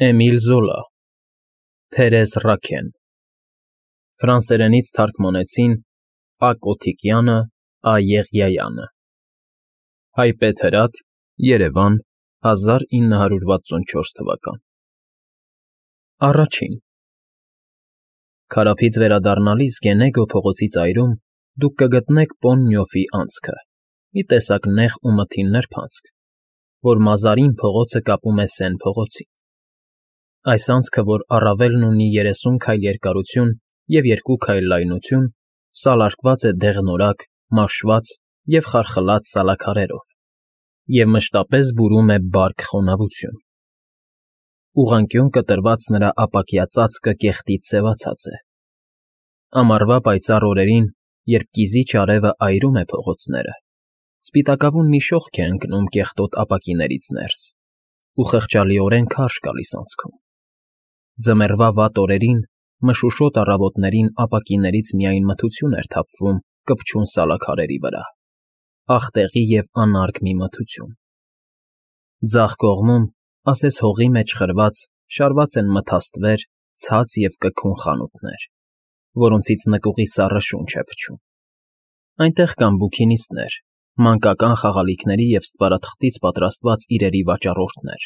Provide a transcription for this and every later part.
Էմիլ Զոլա, Թերեզ Ռաքեն, ֆրանսերենից թարգմանեցին Ա. Կոթիկյանը, Ա. Եղիայանը, Հայպետ հրատ, Երևան 1964 թվական։ Առաջին Քարափից վերադառնալիս Գենեգո փողոցի ծայրում դուք կգտնեք Պոննյոֆի անցքը, մի տեսակ նեղ ու մթին նրբանցք, որ Մազարին փողոցը կապում է Սեն փողոցին։ Այս անցքը, որ առավելն ունի 30 քայլ երկարություն և 2 քայլ լայնություն, սալարկված է դեղնորակ, մաշված և խարխլած սալաքարերով և մշտապես բուրում է բարք խոնավություն։ Ուղղանկյուն կտրված նրա ապակյա ծածկը կեղտից սևացած է։ Ամառվա պայծառ օրերին, երբ կիզիչ արևը այրում է փողոցները, սպիտակավուն մի շողք է ընկնում կեղտոտ ապակիներից ներս, ու խղճալիորեն քարշ գալիս անցքում։ Ձմեռվա վատ օրերին, մշուշոտ առավոտներին ապակիներից միայն մթություն էր թափվում կպչուն սալաքարերի վրա, աղտեղի և անարգ մի մթություն։ Ձախ կողմում, ասես հողի մեջ խրված, շարված են մթաստվեր, ցած և կգուն խանութներ, որոնցից նկուղի սառը շունչ է փչում։ Այնտեղ կան բուքինիստներ, մանկական խաղալիքների և ստվարաթղթից պատրաստված իրերի վաճառորդներ,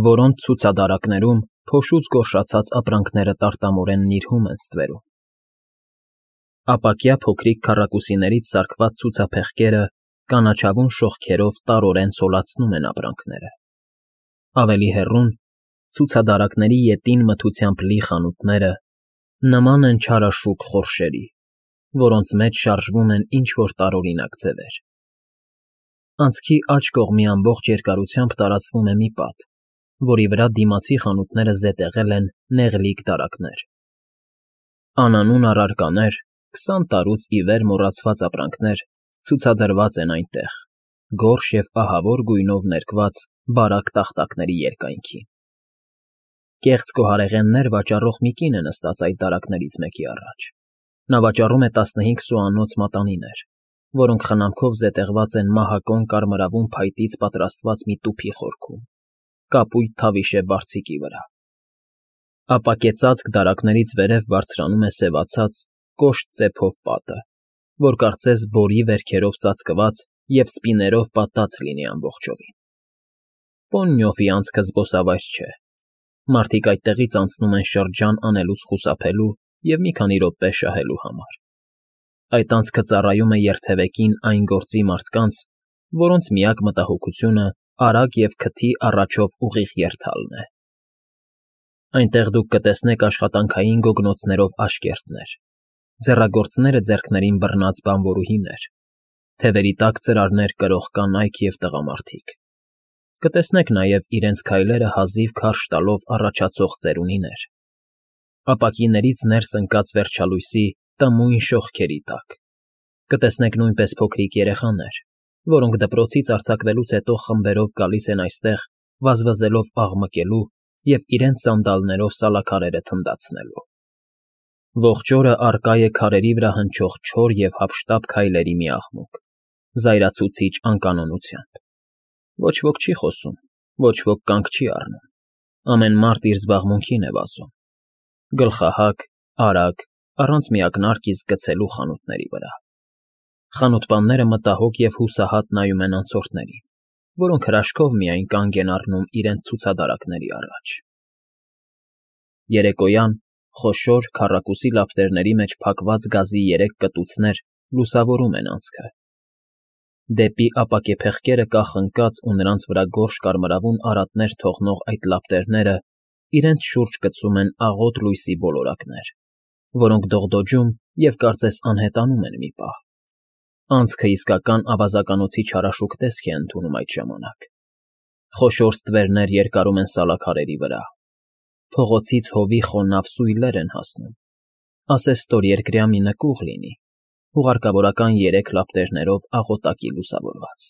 որոնց ցուցադարակներում փոշուց գորշացած ապրանքները տարտամորեն նիրհում են ստվերում։ Ապակյա փոքրիկ քառակուսիներից սարքված ցուցափեղկերը կանաչավուն շողքերով տարորեն ցոլացնում են ապրանքները։ Ավելի հեռուն, ցուցադարակների ետին մթությամբ լի խանութները նման են չարաշուք խորշերի, որոնց մեջ շարժվում են ինչ֊որ տարօրինակ ձևեր։ Անցքի աջ կողմի ամբողջ երկարությամբ տարածվում է մի պատ, որի վրա դիմացի խանութները զետեղել են նեղլիկ դարակներ։ Անանուն առարկաներ, 20 տարուց ի վեր մոռացված ապրանքներ ցուցադրված են այնտեղ, գորշ և ահավոր գույնով ներկված բարակ տախտակների երկայնքին։ Կեղծ գոհարեղեններ վաճառող մի կին է նստած այդ դարակներից մեկի առաջ։ Նա վաճառում է 15 սուանոց մատանիներ, որոնք խնամքով զետեղված են մահակոն կարմրավուն փայտից պատրաստված մի տուփի խորքում, կապույտ թավիշե բարձիկի վրա։ Ապակեցածք դարակներից վերև բարձրանում է սևացած, կոշտ ծեփով պատը, որ կարծես բորի վերքերով ծածկված և սպիներով պատած լինի ամբողջովին։ Պոննյոֆի անցքը զբոսավայր չէ։ Մարդիկ այդտեղից անցնում են շրջան անելուց խուսափելու և մի քանի րոպե շահելու համար։ Այդ անցքը ծառայում է երթևեկին այն գործի մարդկանց, որոնց միակ մտահոգությունը արագ և քթի առաջով ուղիղ երթալն է։ Այնտեղ դուք կտեսնեք աշխատանքային գոգնոցներով աշկերտներ, ձեռագործները ձեռքներին բռնած բանվորուհիներ, թևերի տակ ծրարներ կրող կանայք և տղամարդիկ։ Կտեսնեք նաև իրենց քայլերը հազիվ քարշ տալով առաջացող ծերունիներ, ապակիներից ներս ընկած վերջալույսի տմույն շողքերի տակ։ Կտեսնեք նույնպես փոքրիկ երեխաներ, որոնք դպրոցից արձակվելուց հետո խմբերով գալիս են այստեղ վազվզելով աղմկելու և իրենց սանդալներով սալաքարերը թնդացնելու։ Ողջ օրը առկա է քարերի վրա հնչող չոր և հափշտապ քայլերի մի աղմուկ, զայրացուցիչ անկանոնությամբ։ Ոչ ոք չի խոսում, ոչ ոք կանգ չի առնում, ամեն մարդ իր զբաղմունքին է վազում, գլխահակ, արագ, առանց մի ակնարկ իսկ գցելու խանութների վրա։ Խանութպանները մտահոգ և հուսահատ նայում են անցորդներին, որոնք հրաշքով միայն կանգ են առնում իրենց ցուցադարակների առաջ։ Երեկոյան խոշոր, քառակուսի լապտերների մեջ փակված գազի 3 կտուցներ լուսավորում են անցքը։ Դեպի ապակեպեղկերը կախ ընկած ու նրանց վրա գորշ կարմրավուն արատներ թողնող այդ լապտերները իրենց շուրջ գցում են աղոտ լույսի ոլորակներ, որոնք դողդոջում և կարծես անհետանում են մի պահ։ Անցքը իսկական ավազականոցի չարաշուք տեսք է ընդունում այդ ժամանակ։ Խոշոր ստվերներ երկարում են սալաքարերի վրա։ Փողոցից հովի խոնավ սույլեր են հասնում, ասես ստորերկրյա մի նկուղ լինի, հուղարկավորական 3 լապտերներով աղոտակի լուսավորված։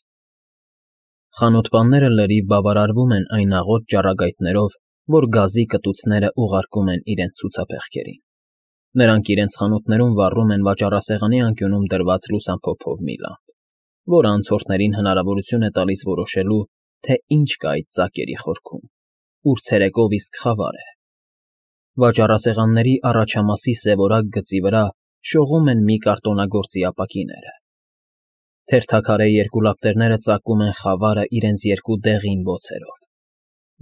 Խանութպանները լրիվ բավարարվում են այն աղոտ ճառագայթներով, որ գազի կտուցները ուղարկում են իրենց ցուցափեղկերին։ Նրանք իրենց խանութներում վառում են վաճառասեղանի անկյունում դրված լուսամփոփով մի լամբ, որը անցորդներին հնարավորություն է տալիս որոշելու, թե ինչ կա այդ ծակերի խորքում։ ուր ցերեկով իսկ խավար է։ Վաճառասեղանների առաջամասի սևորակ գծի վրա շողում են մի կարտոնագործի ապակիները։ Թերթաքարե երկու լապտերները ծակում են խավարը իրենց երկու դեղին բոցերով։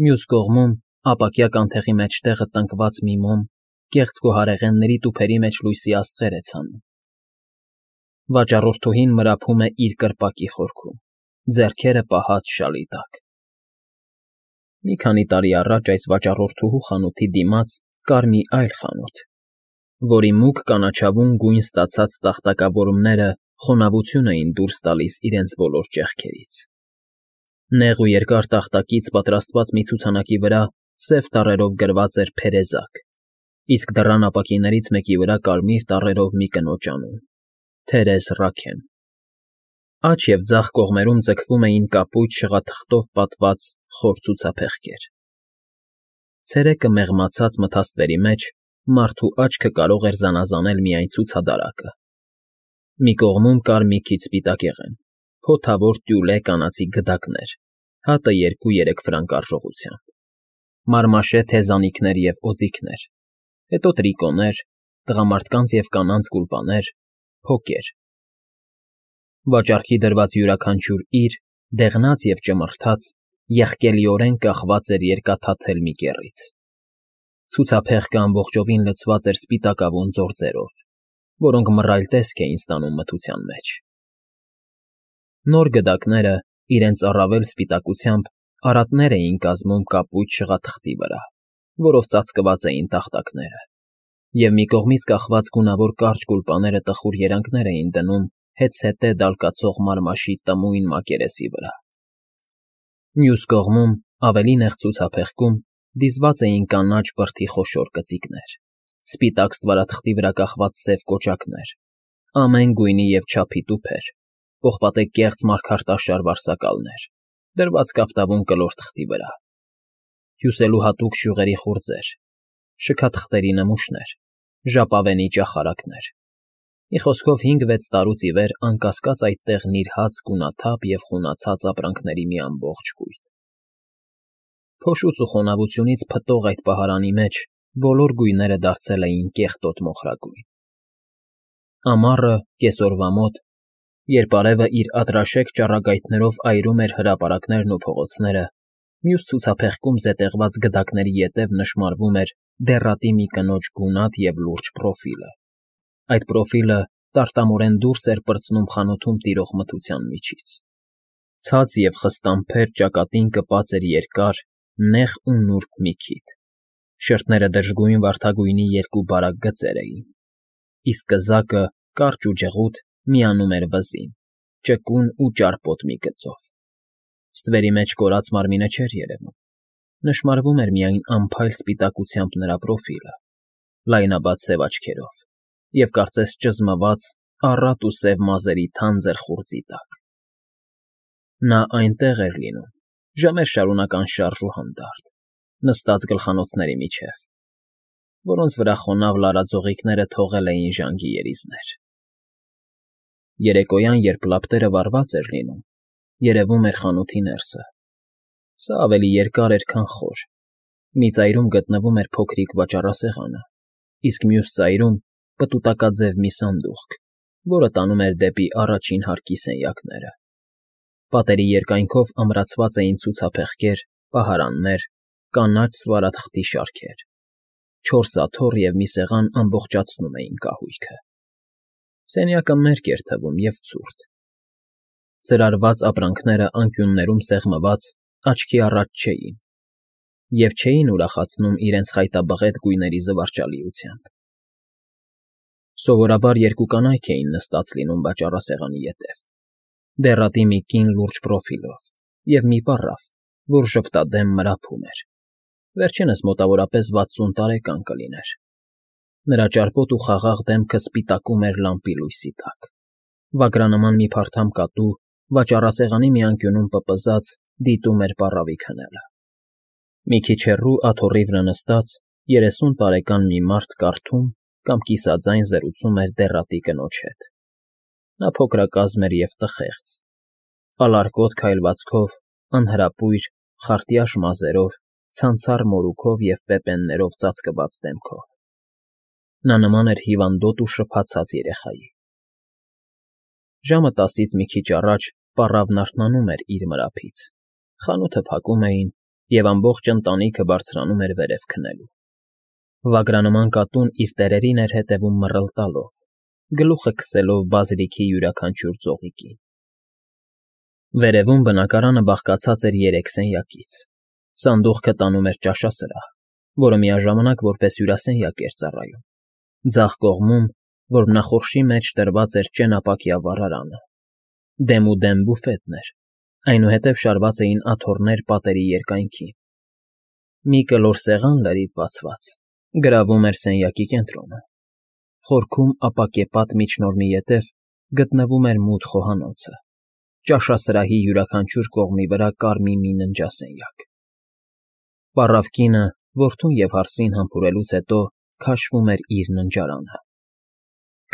Մյուս կողմում, ապակյա կանթեղի մեջտեղը տնկված մի մոմ, կեղծ գոհարեղենների տուփերի մեջ լույսի աստղեր է ցանում։ Վաճառորդուհին մրափում է իր կրպակի խորքում, ձեռքերը պահած շալի տակ։ Մի քանի տարի առաջ այս վաճառորդուհու խանութի դիմաց կար մի այլ խանութ, որի մուգ կանաչավուն գույն ստացած տախտակավորումները խոնավություն էին դուրս տալիս իրենց բոլոր ճեղքերից։ Նեղ ու երկար տախտակից պատրաստված մի ցուցանակի վրա սև տառերով գրված էր «Փերեզակ», իսկ դռան ապակիներից մեկի վրա կարմիր տառերով մի կնոջ անուն՝ Թերեզ Ռաքեն։ Աջ և ձախ կողմերում ձգվում էին կապույտ շղաթղթով պատված խոր ցուցափեղկեր։ Ցերեկը մեղմացած մթաստվերի մեջ մարդու աչքը կարող էր զանազանել միայն ցուցադարակը։ Մի կողմում կար մի քիչ սպիտակեղեն, փոթավոր տյուլե կանացի գդակներ, հատը 2-3 ֆրանկ արժողությամբ, մարմաշե թեզանիքներ և օձիքներ, հետո տրիկոներ, տղամարդկանց և կանանց գուլպաներ, փոկեր։ Վաճառքի դրված յուրաքանչյուր իր, դեղնած և ճմրթաց, եղկելիորեն կախված էր երկաթաթել մի կեռից։ Ցուցափեղկը ամբողջովին լցված էր սպիտակավուն ձորձերով, որոնք մռայլ տեսք էին ստանում մթության մեջ։ Նոր գդակները, իրենց առավել սպիտակությամբ, արատներ էին կազմում կապույտ շղաթղթի վրա, որով ծածկված էին տախտակները, և մի կողմից կախված գունավոր կարճ գուլպաները տխուր երանգներ էին դնում հետզհետե դալկացող մարմաշի տմույն մակերեսի վրա։ Մյուս կողմում, ավելի նեղ ցուցափեղկում, դիզված էին կանաչ բրդի խոշոր կծիկներ, սպիտակ ստվարաթղթի վրա կախված սև կոճակներ, ամեն գույնի և չափի տուփեր, պողպատե կեղծ մարգարտաշար վարսակալներ, դրված կապտավուն կլոր թղթի վրա, հյուսելու հատուկ շյուղերի խուրձեր, շքաթղթերի նմուշներ, ժապավենի ճախարակներ։ Մի խոսքով 5-6 տարուց ի վեր անկասկած այդտեղ նիրհած գունաթափ և խունացած ապրանքների մի ամբողջ կույտ։ Փոշուց ու խոնավությունից փտող այդ պահարանի մեջ բոլոր գույները դարձել էին կեղտոտ մոխրագույն։ Ամառը, կեսօրվա մոտ, երբ արևը իր ատրաշեկ ճառագայթներով այրում էր հրապարակներն ու փողոցները, մյուս ցուցափեղկում զետեղված գդակների ետև նշմարվում էր դեռատի մի կնոջ գունատ և լուրջ պրոֆիլը։ Այդ պրոֆիլը տարտամորեն դուրս էր պրծնում խանութում տիրող մթության միջից։ Ցած և խստամփեր ճակատին կպած էր երկար, նեղ ու նուրբ մի քիթ։ Շրթները դժգույն վարդագույնի երկու բարակ գծեր էին, իսկ կզակը, կարճ ու ջղութ, միանում էր վզին, ճկուն ու ճարպոտ մի գծով։ Ստվերի մեջ կորած մարմինը չէր երևում, նշմարվում էր միայն անփայլ սպիտակությամբ նրա պրոֆիլը, լայնաբաց սև աչքերով և կարծես ճզմված առատ ու սև մազերի թանձր խուրձի տակ։ Նա այնտեղ էր լինում, ժամեր շարունակ անշարժ ու հանդարտ, նստած գլխանոցների միջև, որոնց վրա խոնավ լարաձողիկները թողել էին ժանգի երիզներ։ Երեկոյան, երբ լապտերը վառված էր լինում, երևում էր խանութի ներսը։ Սա ավելի երկար էր, քան խոր։ Մի ծայրում գտնվում էր փոքրիկ վաճառասեղանը, իսկ մյուս ծայրում պտուտակաձև մի սանդուղք, որը տանում էր դեպի առաջին հարկի սենյակները։ Պատերի երկայնքով ամրացված էին ցուցափեղկեր, պահարաններ, կանաչ ստվարաթղթի շարքեր։ 4 աթոռ և մի սեղան ամբողջացնում էին կահույքը։ Սենյակը մերկ էր թվում և ցուրտ։ Ծրարված ապրանքները անկյուններում սեղմված աչքի առաջ չէին և չէին ուրախացնում իրենց խայտաբղետ գույների զվարճալիությամբ։ Սովորաբար երկու կանայք էին նստած լինում վաճառասեղանի ետև, դեռատի մի կին լուրջ պրոֆիլով և մի պառավ, որ ժպտադեմ մրափում էր։ Վերջինս մոտավորապես 60 տարեկան կլիներ։ Նրա ճարպոտ ու խաղաղ դեմքը սպիտակում էր լամպի լույսի տակ։ Վագրանման մի փարթամ կատու վաճառասեղանի մի անկյունում պպզած դիտում էր պառավի քնելը։ Մի քիչ հեռու աթոռի վրա նստած 30 տարեկան մի մարդ կարդում կամ կիսաձայն զրուցում էր դեռատի կնոջ հետ։ Նա փոքրակազմ էր և տխեղծ, ալարկոտ քայլվածքով, անհրապույր, խարտյաշ մազերով, ցանցառ մորուքով և պեպեններով ծածկված դեմքով։ Նա նման էր հիվանդոտ ու շփացած երեխայի։ Ժամը 10-ից մի քիչ առաջ պառավն արթնանում էր իր մրափից, խանութը փակում էին, և ամբողջ ընտանիքը բարձրանում էր վերև քնելու։ Վագրանման կատուն իր տերերին էր հետևում մռլ տալով, գլուխը քսելով բազիլիքի յուրաքանչյուր ծողիկին։ Վերևում բնակարանը բաղկացած էր 3 սենյակից։ Սանդուղքը տանում էր ճաշասրահ, որը միաժամանակ որպես հյուրասենյակ էր ծառայում։ Ձախ կողմում, որմնախորշի մեջ դրված էր ճենապակյա վառարանը։ Դեմուդեմ բուֆետն էր, այնուհետև շարված էին աթոռներ պատերի երկայնքին։ Մի կլոր սեղան լրիվ բացված գրավում էր սենյակի կենտրոնը։ Խորքում ապակեպատ միջնորմի ետև գտնվում էր մութ խոհանոցը, ճաշասրահի յուրաքանչյուր կողմի վրա կարմիր մի ննջասենյակ։ Պառավ կինը, որդուն և հարսին համբուրելուց հետո, քաշվում էր իր ննջարանը։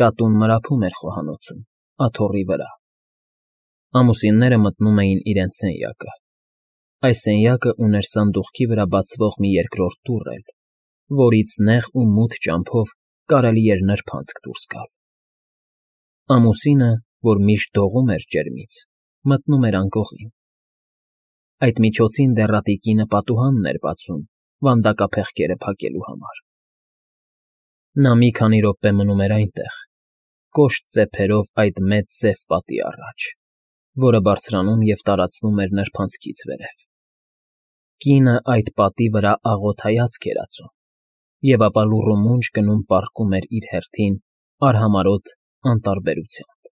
Կատուն մրափում էր խոհանոցում, աթոռի վրա։ Ամուսինները մտնում էին իրենց սենյակը։ Այս սենյակը ուներ սանդուղքի վրա բացվող մի երկրորդ դուռ էլ, որից նեղ ու մութ ճամփով կարելի էր նրբանցք դուրս գալ։ Ամուսինը, որ միշտ դողում էր ջերմից, մտնում էր անկողին։ Այդ միջոցին դեռատի կինը պատուհանն էր բացում վանդակափեղկերը փակելու համար։ Նա մի քանի րոպե մնում էր այնտեղ, կոշտ ծեփերով այդ մեծ սև պատի առաջ, որը բարձրանում և տարածվում էր նրբանցքից վերև։ Կինը այդ պատի վրա աղոտ հայացք էր ածում, և ապա լուռումունջ գնում պառկում էր իր հերթին արհամարհոտ անտարբերությամբ։